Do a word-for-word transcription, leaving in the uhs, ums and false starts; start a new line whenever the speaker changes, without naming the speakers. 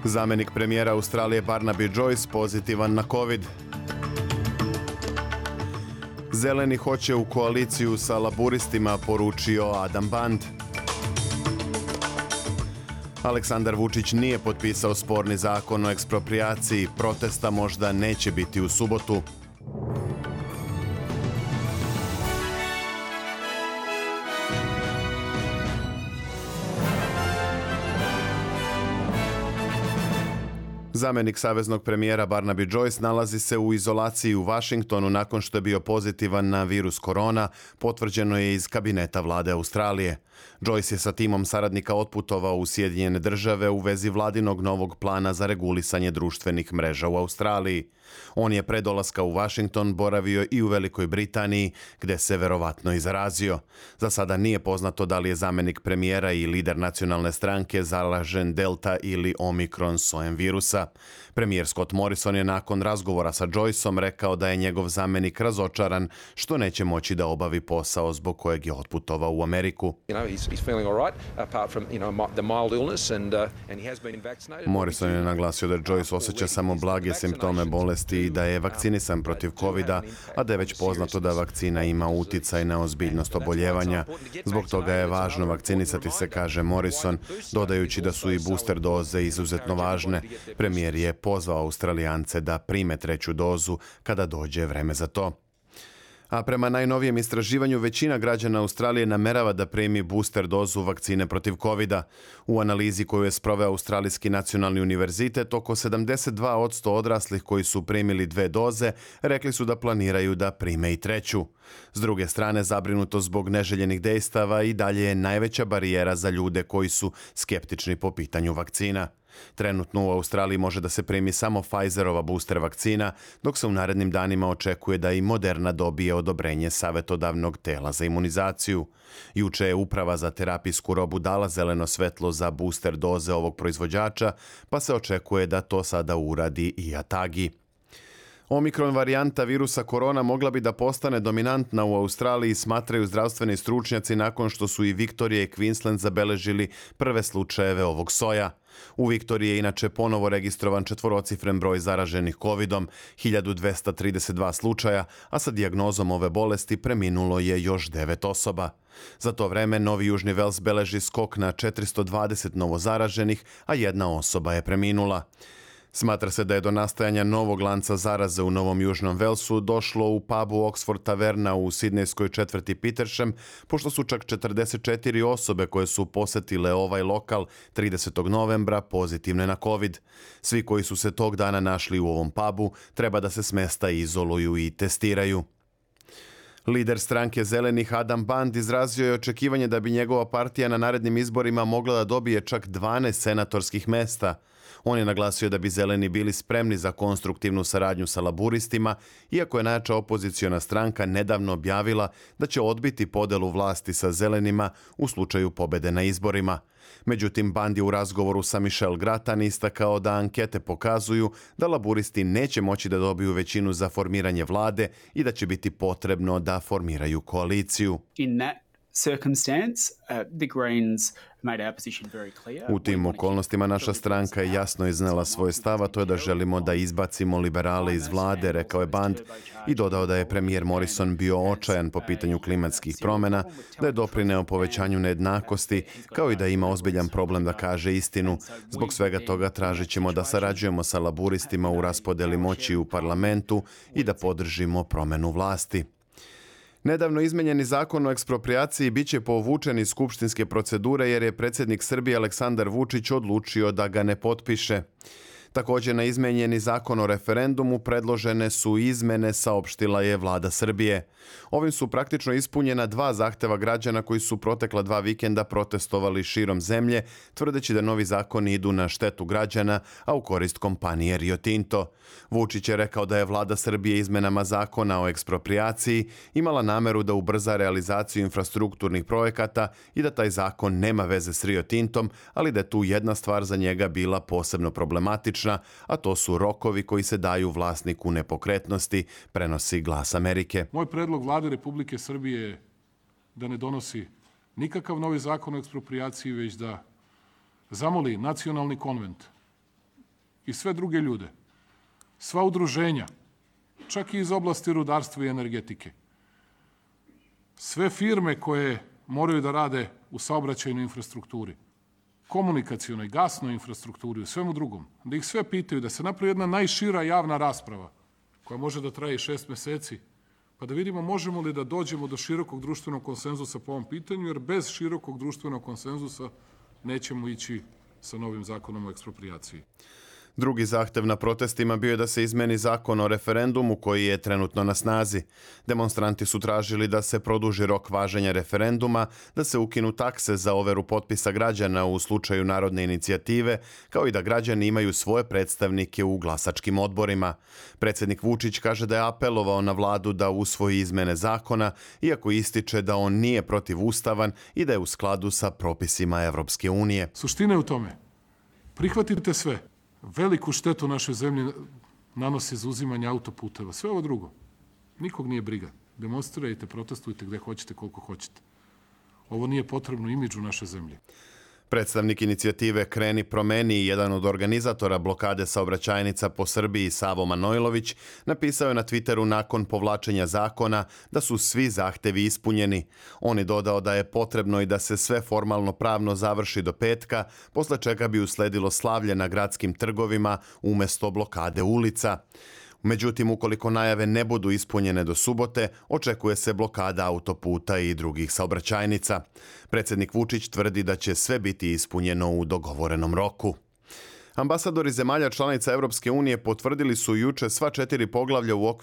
Zamenik premijera Australije Barnaby Joyce pozitivan na COVID. Zeleni hoće u koaliciju sa laburistima, poručio Adam Band. Aleksandar Vučić nije potpisao sporni zakon o eksproprijaciji, protesta možda neće biti u subotu. Zamenik saveznog premijera Barnaby Joyce nalazi se u izolaciji u Vašingtonu nakon što je bio pozitivan na virus korona, potvrđeno je iz kabineta vlade Australije. Joyce je sa timom saradnika otputovao u Sjedinjene države u vezi vladinog novog plana za regulisanje društvenih mreža u Australiji. On je pre dolaska u Vašington boravio i u Velikoj Britaniji, gde se verovatno i zarazio. Za sada nije poznato da li je zamenik premijera i lider nacionalne stranke zaražen Delta ili Omikron sojem virusa. Premijer Scott Morrison je nakon razgovora sa Joyceom rekao da je njegov zamenik razočaran što neće moći da obavi posao zbog kojeg je otputovao u Ameriku. Morrison je naglasio da Joyce osjeća samo blage simptome bolesti i da je vakcinisan protiv kovida, a da je već poznato da vakcina ima uticaj na ozbiljnost oboljevanja. Zbog toga je važno vakcinisati se, kaže Morrison, dodajući da su i booster doze izuzetno važne. Premijer je pozvao Australijance da prime treću dozu kada dođe vreme za to. A prema najnovijem istraživanju većina građana Australije namerava da primi booster dozu vakcine protiv kovida. U analizi koju je sproveo Australijski nacionalni univerzitet, oko sedamdeset dva posto odraslih koji su primili dve doze rekli su da planiraju da prime i treću. S druge strane, zabrinutost zbog neželjenih dejstava i dalje je najveća barijera za ljude koji su skeptični po pitanju vakcina. Trenutno u Australiji može da se primi samo Pfizerova booster vakcina, dok se u narednim danima očekuje da i Moderna dobije odobrenje savjetodavnog tela za imunizaciju. Juče je Uprava za terapijsku robu dala zeleno svetlo za booster doze ovog proizvođača, pa se očekuje da to sada uradi i Atagi. Omikron varijanta virusa korona mogla bi da postane dominantna u Australiji, smatraju zdravstveni stručnjaci nakon što su i Viktorija i Queensland zabeležili prve slučajeve ovog soja. U Viktoriji je inače ponovo registrovan četvorocifren broj zaraženih covidom, hiljadu dvesta trideset dva slučaja, a sa dijagnozom ove bolesti preminulo je još devet osoba. Za to vreme Novi Južni Vels beleži skok na četiristo dvadeset novozaraženih, a jedna osoba je preminula. Smatra se da je do nastajanja novog lanca zaraze u Novom Južnom Velsu došlo u pubu Oxford Taverna u sidnejskoj četvrti Petersham, pošto su čak četrdeset četiri osobe koje su posetile ovaj lokal tridesetog novembra pozitivne na COVID. Svi koji su se tog dana našli u ovom pubu treba da se s mesta izoluju i testiraju. Lider stranke Zelenih Adam Band izrazio je očekivanje da bi njegova partija na narednim izborima mogla da dobije čak dvanaest senatorskih mesta. On je naglasio da bi Zeleni bili spremni za konstruktivnu saradnju sa laburistima, iako je najjača opoziciona stranka nedavno objavila da će odbiti podelu vlasti sa Zelenima u slučaju pobede na izborima. Međutim, Band je u razgovoru sa Michelle Grattan istakao da ankete pokazuju da laburisti neće moći da dobiju većinu za formiranje vlade i da će biti potrebno da formiraju koaliciju.
In that circumstance, uh, the Greens made our position very clear.
U tim okolnostima naša stranka je jasno iznela svoj stav, a to je da želimo da izbacimo liberale iz vlade, rekao je Band, i dodao da je premijer Morrison bio očajan po pitanju klimatskih promjena, da je doprineo povećanju nejednakosti, kao i da ima ozbiljan problem da kaže istinu. Zbog svega toga tražit ćemo da sarađujemo sa laburistima u raspodeli moći u parlamentu i da podržimo promjenu vlasti. Nedavno izmenjeni zakon o eksproprijaciji biće povučen iz skupštinske procedure jer je predsjednik Srbije Aleksandar Vučić odlučio da ga ne potpiše. Također na izmenjeni zakon o referendumu predložene su izmene, saopštila je vlada Srbije. Ovim su praktično ispunjena dva zahteva građana koji su protekla dva vikenda protestovali širom zemlje, tvrdeći da novi zakoni idu na štetu građana, a u korist kompanije Rio Tinto. Vučić je rekao da je vlada Srbije izmenama zakona o eksproprijaciji imala nameru da ubrza realizaciju infrastrukturnih projekata i da taj zakon nema veze s Rio Tintom, ali da je tu jedna stvar za njega bila posebno problematična, a to su rokovi koji se daju vlasniku nepokretnosti, prenosi Glas Amerike.
Moj predlog vlade Republike Srbije je da ne donosi nikakav novi zakon o eksproprijaciji, već da zamoli nacionalni konvent i sve druge ljude, sva udruženja, čak i iz oblasti rudarstva i energetike, sve firme koje moraju da rade u saobraćajnoj infrastrukturi, komunikacionoj, gasnoj infrastrukturi, u svemu drugom, da ih sve pitaju, da se napravi jedna najšira javna rasprava, koja može da traje šest meseci, pa da vidimo možemo li da dođemo do širokog društvenog konsenzusa po ovom pitanju, jer bez širokog društvenog konsenzusa nećemo ići sa novim zakonom o eksproprijaciji.
Drugi zahtev na protestima bio je da se izmeni zakon o referendumu koji je trenutno na snazi. Demonstranti su tražili da se produži rok važenja referenduma, da se ukinu takse za overu potpisa građana u slučaju narodne inicijative, kao i da građani imaju svoje predstavnike u glasačkim odborima. Predsjednik Vučić kaže da je apelovao na vladu da usvoji izmene zakona, iako ističe da on nije protivustavan i da je u skladu sa propisima Evropske unije.
Suština je u tome. Prihvatite sve. Veliku štetu našoj zemlji nanosi zauzimanje autoputeva. Sve ovo drugo. Nikog nije briga. Demonstrirajte, protestujte gde hoćete, koliko hoćete. Ovo nije potrebno imidžu naše zemlje.
Predstavnik inicijative Kreni promeni i jedan od organizatora blokade saobraćajnica po Srbiji, Savo Manojlović, napisao je na Twitteru nakon povlačenja zakona da su svi zahtevi ispunjeni. On je dodao da je potrebno i da se sve formalno pravno završi do petka, posle čega bi usledilo slavlje na gradskim trgovima umjesto blokade ulica. Međutim, ukoliko najave ne budu ispunjene do subote, očekuje se blokada autoputa i drugih saobraćajnica. Predsjednik Vučić tvrdi da će sve biti ispunjeno u dogovorenom roku. Ambasadori zemalja članica Evropske unije potvrdili su juče sva četiri poglavlja u okviru